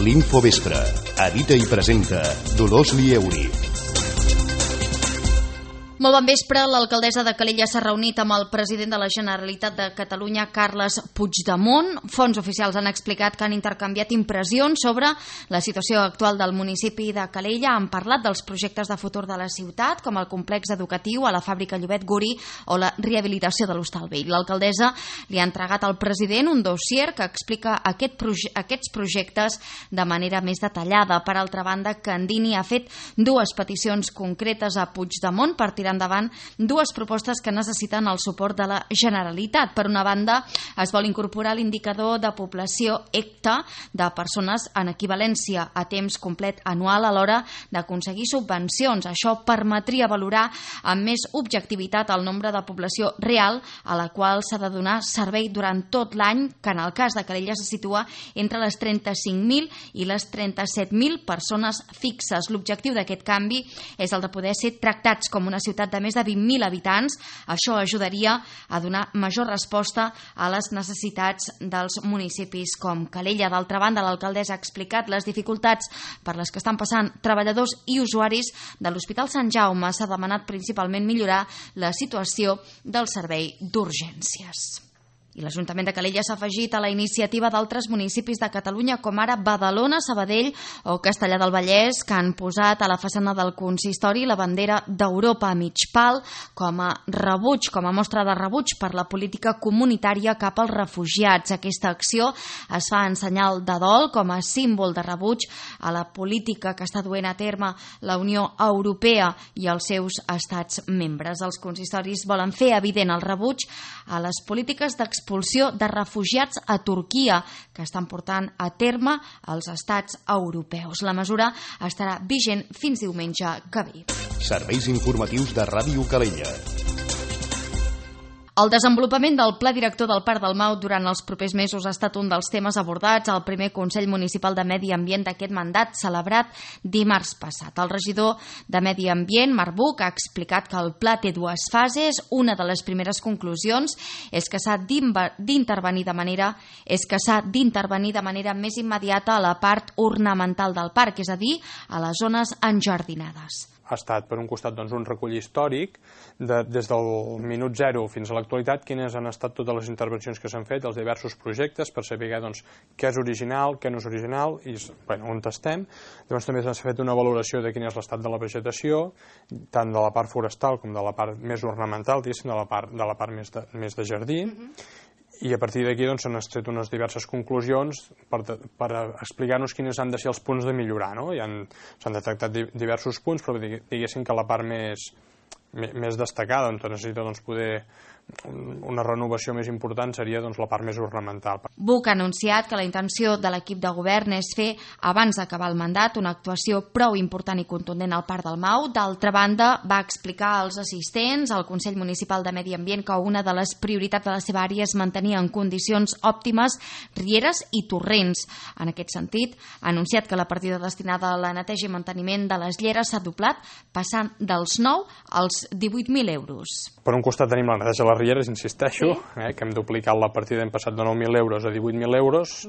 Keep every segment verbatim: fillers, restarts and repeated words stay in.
L'Infovespre. Edita i presenta Dolors Lieuri. Molt bon vespre. L'alcaldessa de Calella s'ha reunit amb el president de la Generalitat de Catalunya, Carles Puigdemont. Fonts oficials han explicat que han intercanviat impressions sobre la situació actual del municipi de Calella. Han parlat dels projectes de futur de la ciutat, com el complex educatiu a la fàbrica Llobet Guri o la rehabilitació de l'Hostal Vell. L'alcaldessa li ha entregat al president un dossier que explica aquest proje aquests projectes de manera més detallada. Per altra banda, Candini ha fet dues peticions concretes a Puigdemont per tirar endavant dues propostes que necessiten el suport de la Generalitat. Per una banda, es vol incorporar l'indicador de població E C T A de persones en equivalència a temps complet anual a l'hora d'aconseguir subvencions. Això permetria valorar amb més objectivitat el nombre de població real a la qual s'ha de donar servei durant tot l'any, que en el cas de Calella se situa entre les trenta-cinc mil i les trenta-set mil persones fixes. L'objectiu d'aquest canvi és el de poder ser tractats com una ciutat de més de vint mil habitants. Això ajudaria a donar major resposta a les necessitats dels municipis com Calella. D'altra banda, l'alcaldessa ha explicat les dificultats per les que estan passant treballadors i usuaris de l'Hospital Sant Jaume. S'ha demanat principalment millorar la situació del servei d'urgències. I l'Ajuntament de Calella s'ha afegit a la iniciativa d'altres municipis de Catalunya, com ara Badalona, Sabadell o Castellar del Vallès, que han posat a la façana del consistori la bandera d'Europa a mig pal com a rebuig, com a mostra de rebuig per la política comunitària cap als refugiats. Aquesta acció es fa en senyal de dol com a símbol de rebuig a la política que està duent a terme la Unió Europea i els seus estats membres. Els consistoris volen fer evident el rebuig a les polítiques d'expulsió expulsió de refugiats a Turquia que estan portant a terme els estats europeus. La mesura estarà vigent fins diumenge que ve. Serveis informatius de Ràdio Calella. El desenvolupament del Pla Director del Parc del Mau durant els propers mesos ha estat un dels temes abordats al primer Consell Municipal de Medi Ambient d'aquest mandat, celebrat dimarts passat. El regidor de Medi Ambient, Marc Buch, ha explicat que el pla té dues fases. Una de les primeres conclusions és que s'ha d'intervenir de manera és que s'ha d'intervenir de manera més immediata a la part ornamental del parc, és a dir, a les zones enjardinades. Ha estat, per un costat, doncs, un recull històric de, des del minut zero fins a l'actualitat, quines han estat totes les intervencions que s'han fet, els diversos projectes, per saber doncs, què és original, què no és original i bueno, on estem. Llavors també s'ha fet una valoració de quin és l'estat de la vegetació, tant de la part forestal com de la part més ornamental, de la part, de la part més, de, més de jardí. Mm-hmm. I a partir d'aquí doncs, s'han extret unes diverses conclusions per, per explicar-nos quins han de ser els punts de millorar. No? S'han detectat diversos punts, però diguéssim que la part més, més destacada, on necessita doncs, poder una renovació més important seria doncs, la part més ornamental. Buch ha anunciat que la intenció de l'equip de govern és fer, abans d'acabar el mandat, una actuació prou important i contundent al Parc del Mau. D'altra banda, va explicar als assistents al Consell Municipal de Medi Ambient que una de les prioritats de la seva àrea és mantenir en condicions òptimes rieres i torrents. En aquest sentit, ha anunciat que la partida destinada a la neteja i manteniment de les lleres s'ha doblat, passant dels nou als divuit mil euros. Per un costat tenim la neteja de les rieres, insisteixo, eh, que hem duplicat la partida, hem passat de nou mil euros a divuit mil euros,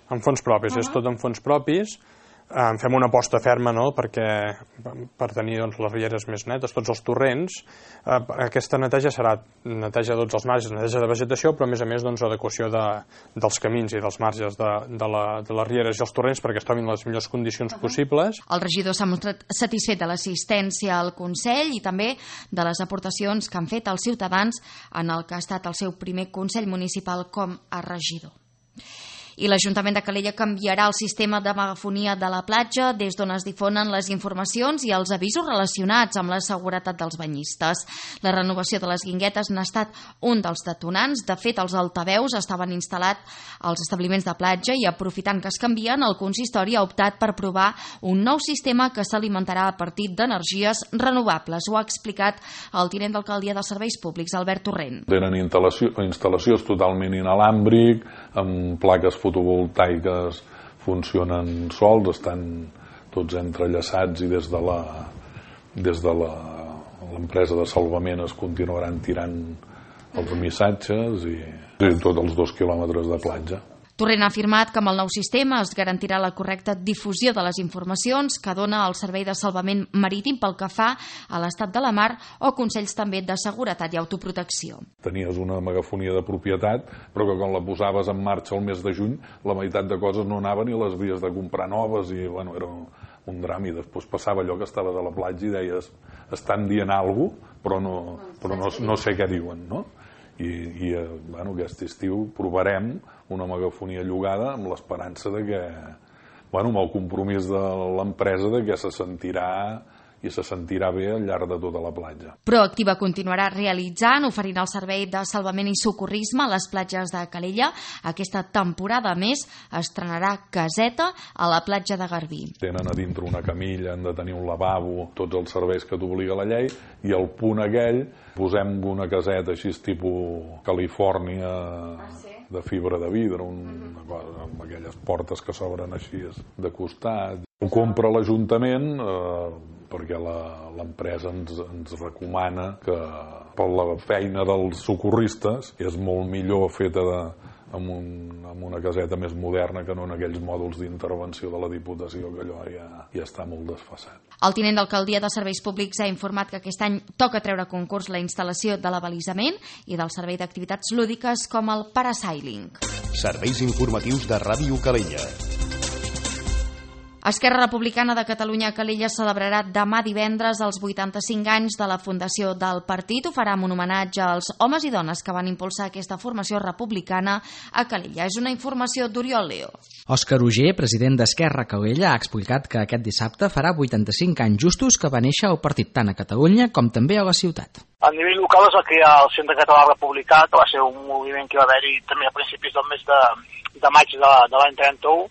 en fons propis, uh -huh. és tot en fons propis. Eh, fem una aposta ferma, no?, perquè, per tenir doncs, les rieres més netes, tots els torrents. Eh, aquesta neteja serà neteja de tots els marges, neteja de vegetació, però a més a més doncs, adequació de, dels camins i dels marges de, de, la, de les rieres i els torrents perquè es trobin les millors condicions uh -huh. possibles. El regidor s'ha mostrat satisfet de l'assistència al Consell i també de les aportacions que han fet els ciutadans en el que ha estat el seu primer Consell Municipal com a regidor. I l'Ajuntament de Calella canviarà el sistema de megafonia de la platja des d'on es difonen les informacions i els avisos relacionats amb la seguretat dels banyistes. La renovació de les guinguetes n'ha estat un dels detonants. De fet, els altaveus estaven instal·lats als establiments de platja i, aprofitant que es canvien, el consistori ha optat per provar un nou sistema que s'alimentarà a partir d'energies renovables. Ho ha explicat el tinent d'alcaldia de Serveis Públics, Albert Torrent. Tenen instal·lació, instal·lacions totalment inalàmbric, amb plaques fotovoltaiques funcionen sols, estan tots entrellaçats i des de la des de l'empresa de salvament es continuaran tirant els missatges i, i tots els dos quilòmetres de platja. Torrent ha afirmat que amb el nou sistema es garantirà la correcta difusió de les informacions que dona el Servei de Salvament Marítim pel que fa a l'estat de la mar o consells també de seguretat i autoprotecció. Tenies una megafonia de propietat, però que quan la posaves en marxa el mes de juny, la meitat de coses no anaven i les havies de comprar noves i bueno, era un drama. I després passava allò que estaves a la platja i deies, estan dient alguna cosa, però no, però no, no sé què diuen, no? I, i bueno, aquest estiu provarem una megafonia llogada amb l'esperança de que, bueno, amb el compromís de l'empresa de que se sentirà i se sentirà bé al llarg de tota la platja. Proactiva continuarà realitzant, oferint el servei de salvament i socorrisme a les platges de Calella. Aquesta temporada, a més, estrenarà caseta a la platja de Garbí. Tenen a dintre una camilla, han de tenir un lavabo, tots els serveis que t'obliga la llei, i al punt aquell posem una caseta així tipus Califòrnia, de fibra de vidre, una cosa, amb aquelles portes que s'obren així de costat. Ho compra l'Ajuntament eh, perquè l'empresa ens, ens recomana que per la feina dels socorristes és molt millor feta de, amb, un, amb una caseta més moderna que no en aquells mòduls d'intervenció de la Diputació, que allò ja, ja està molt desfasat. El tinent d'alcaldia de Serveis Públics ha informat que aquest any toca treure a concurs la instal·lació de l'abalisament i del servei d'activitats lúdiques com el parasailing. Serveis informatius de Ràdio Calella. Esquerra Republicana de Catalunya a Calella celebrarà demà divendres els vuitanta-cinc anys de la fundació del partit. Ho farà amb un homenatge als homes i dones que van impulsar aquesta formació republicana a Calella. És una informació d'Oriol Leo. Òscar Uger, president d'Esquerra Calella, ha explicat que aquest dissabte farà vuitanta-cinc anys justos que va néixer el partit tant a Catalunya com també a la ciutat. A nivell local es va crear el Centre Català Republicà, que va ser un moviment que va haver-hi també a principis del mes de, de maig de, de l'any trenta-u,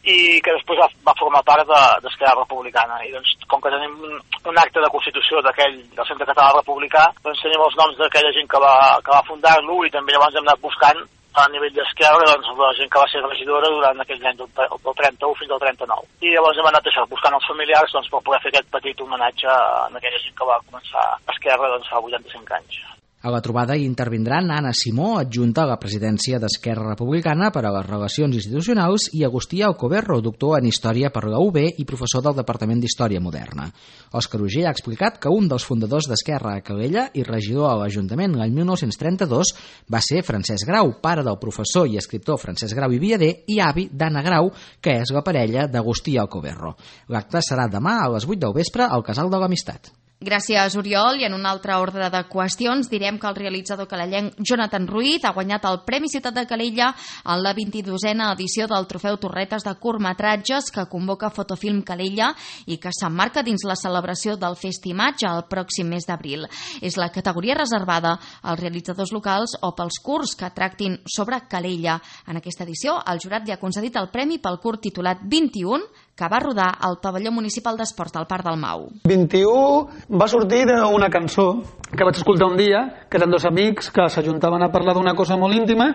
i que després va, va formar part d'Esquerra Republicana. I doncs, com que tenim un, un acte de constitució d'aquell del Centre Català Republicà, doncs tenim els noms d'aquella gent que va, que va fundar-lo i també llavors hem anat buscant a nivell d'Esquerra doncs, la gent que va ser regidora durant aquell any del, del trenta-u fins al trenta-nou. I llavors hem anat això, buscant els familiars doncs, per poder fer aquest petit homenatge a aquella gent que va començar Esquerra doncs, fa vuitanta-cinc anys. A la trobada hi intervindran Anna Simó, adjunta a la presidència d'Esquerra Republicana per a les Relacions Institucionals, i Agustí Alcoberro, doctor en Història per la U B i professor del Departament d'Història Moderna. Òscar Uger ha explicat que un dels fundadors d'Esquerra a Calella i regidor a l'Ajuntament l'any mil nou-cents trenta-dos va ser Francesc Grau, pare del professor i escriptor Francesc Grau i Viader i avi d'Anna Grau, que és la parella d'Agustí Alcoberro. L'acte serà demà a les vuit del vespre al Casal de l'Amistat. Gràcies, Oriol. I en un altre ordre de qüestions direm que el realitzador calellenc Jonathan Ruiz ha guanyat el Premi Ciutat de Calella en la vint-i-dosena edició del Trofeu Torretes de curtmetratges que convoca Fotofilm Calella i que s'emmarca dins la celebració del Festimatge el pròxim mes d'abril. És la categoria reservada als realitzadors locals o pels curts que tractin sobre Calella. En aquesta edició, el jurat li ha concedit el premi pel curt titulat vint-i-un, que va rodar al pavelló municipal d'esports del Parc del Mau. vint-i-u va sortir d'una cançó que vaig escoltar un dia, que eren dos amics que s'ajuntaven a parlar d'una cosa molt íntima,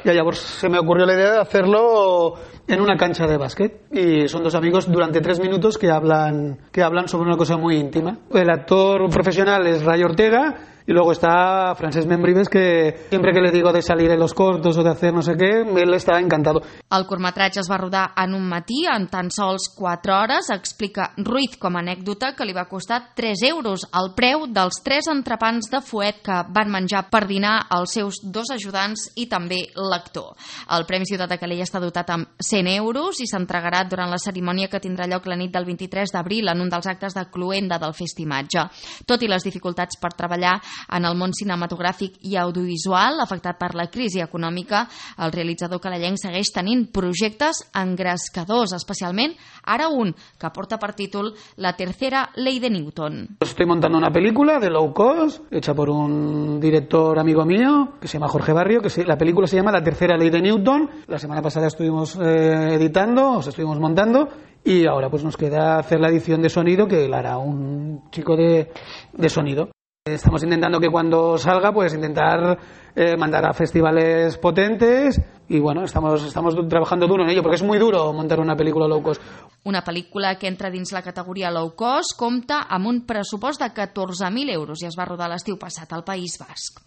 y llavors se me ocurrió la idea de hacerlo en una cancha de básquet. Y son dos amigos durante tres minutos que hablan, que hablan sobre una cosa muy íntima. El actor profesional es Ray Ortega, y luego está Francesc Membrives, que siempre que le digo de salir en los cortos o de hacer no sé qué, él está encantado. El curtmetratge es va rodar en un matí, en tan sols quatre hores. Explica Ruiz com a anècdota que li va costar tres euros, el preu dels tres entrepans de fuet que van menjar per dinar els seus dos ajudants i també l'actor. El Premi Ciutat de Calella està dotat amb cent euros i s'entregarà durant la cerimònia que tindrà lloc la nit del vint-i-tres d'abril en un dels actes de cloenda del Festimatge. Tot i les dificultats per treballar en el món cinematogràfic i audiovisual afectat per la crisi econòmica, el realitzador calellenc segueix tenint projectes engrescadors, especialment ara un que porta per títol La tercera ley de Newton. Estoy montando una película de low cost hecha por un director amigo mío que se llama Jorge Barrio, que se, la película se llama La tercera ley de Newton. La semana pasada estuvimos eh, editando, os estuvimos montando, y ahora pues nos queda hacer la edición de sonido, que la hará un chico de, de sonido. Estamos intentando que cuando salga, pues intentar eh, mandar a festivales potentes, y bueno, estamos, estamos trabajando duro en ello, porque es muy duro montar una película low cost. Una pel·lícula que entra dins la categoria low cost compta amb un pressupost de catorze mil euros i es va rodar l'estiu passat al País Basc.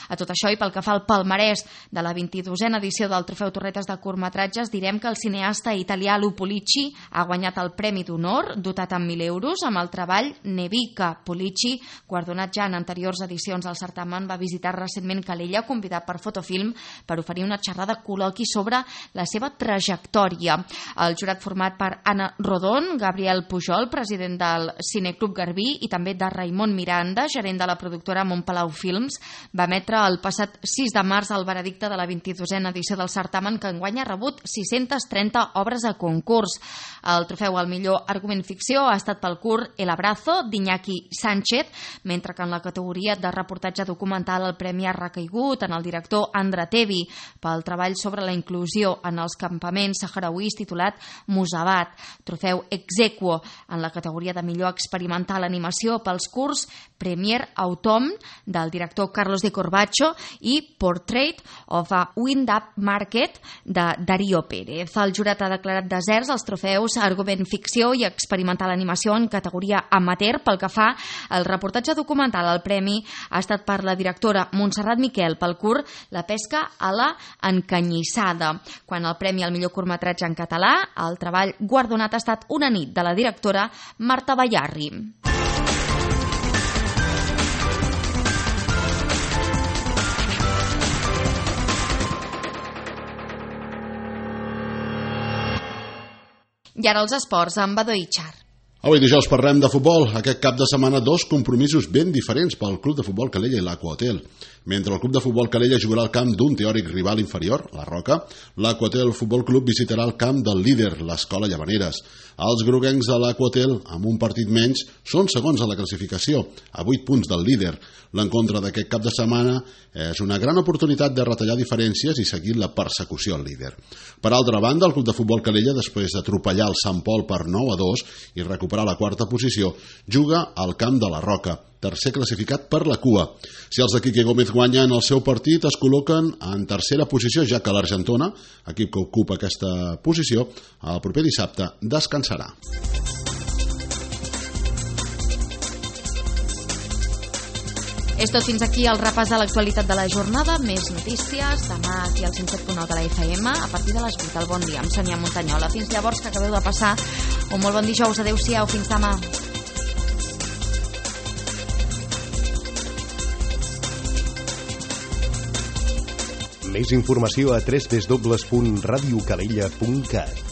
A tot això, i pel que fa al palmarès de la vint-i-dosena edició del Trofeu Torretes de curtmetratges, direm que el cineasta italià Lupo Pulici ha guanyat el Premi d'Honor, dotat amb mil euros, amb el treball Nevica. Pulici, guardonat ja en anteriors edicions del certamen, va visitar recentment Calella, convidat per Fotofilm per oferir una xerrada col·loqui sobre la seva trajectòria. El jurat format per Anna Rodon, Gabriel Pujol, president del Cineclub Garbí, i també de Raimon Miranda, gerent de la productora Montpalau Films, va emetre el passat sis de març el veredicte de la vint-i-dosena edició del certamen, que enguany ha rebut sis-centes trenta obres a concurs. El trofeu al millor argument ficció ha estat pel curt El Abrazo, d'Iñaki Sánchez, mentre que en la categoria de reportatge documental el premi ha recaigut en el director Andra Tevi pel treball sobre la inclusió en els campaments saharauís titulat Musabat. Trofeu ex aequo en la categoria de millor experimental animació pels curts Premier Autumn del director Carlos de Corbacho i Portrait of a Wind-Up Market de Darío Pérez. El jurat ha declarat deserts els trofeus argument ficció i experimental animació en categoria amateur. Pel que fa al reportatge documental, el premi ha estat per la directora Montserrat Miquel pel curt La pesca a la encanyissada. Quan el premi al millor curtmetratge en català, el treball guardonat ha estat Una nit, de la directora Marta Bayarri. I ara els esports amb Badó Itxar. Avui dijous parlem de futbol. Aquest cap de setmana dos compromisos ben diferents pel Club de Futbol Calella i l'Aqua-Hotel. Mentre el Club de Futbol Calella jugarà al camp d'un teòric rival inferior, la Roca, l'Aqua-Hotel Futbol Club visitarà el camp del líder, l'Escola Llavaneres. Els groguencs de l'Aqua-Hotel, amb un partit menys, són segons a la classificació, a vuit punts del líder. L'encontre d'aquest cap de setmana és una gran oportunitat de retallar diferències i seguir la persecució al líder. Per altra banda, el Club de Futbol Calella, després d'atropellar el Sant Pol per nou a dos i recuperar la quarta posició, juga al camp de la Roca, tercer classificat per la cua. Si els de Quique Gómez guanyen el seu partit, es col·loquen en tercera posició, ja que l'Argentona, equip que ocupa aquesta posició, el proper dissabte descansarà. És tot fins aquí el repàs de l'actualitat de la jornada. Més notícies demà aquí al cent set punt nou de la F M a partir de les vuit. El bon dia amb Sònia Montanyola. Fins llavors, que acabeu de passar un molt bon dijous. Adéu-siau, fins demà. Més informació a w w w punt radio calella punt cat.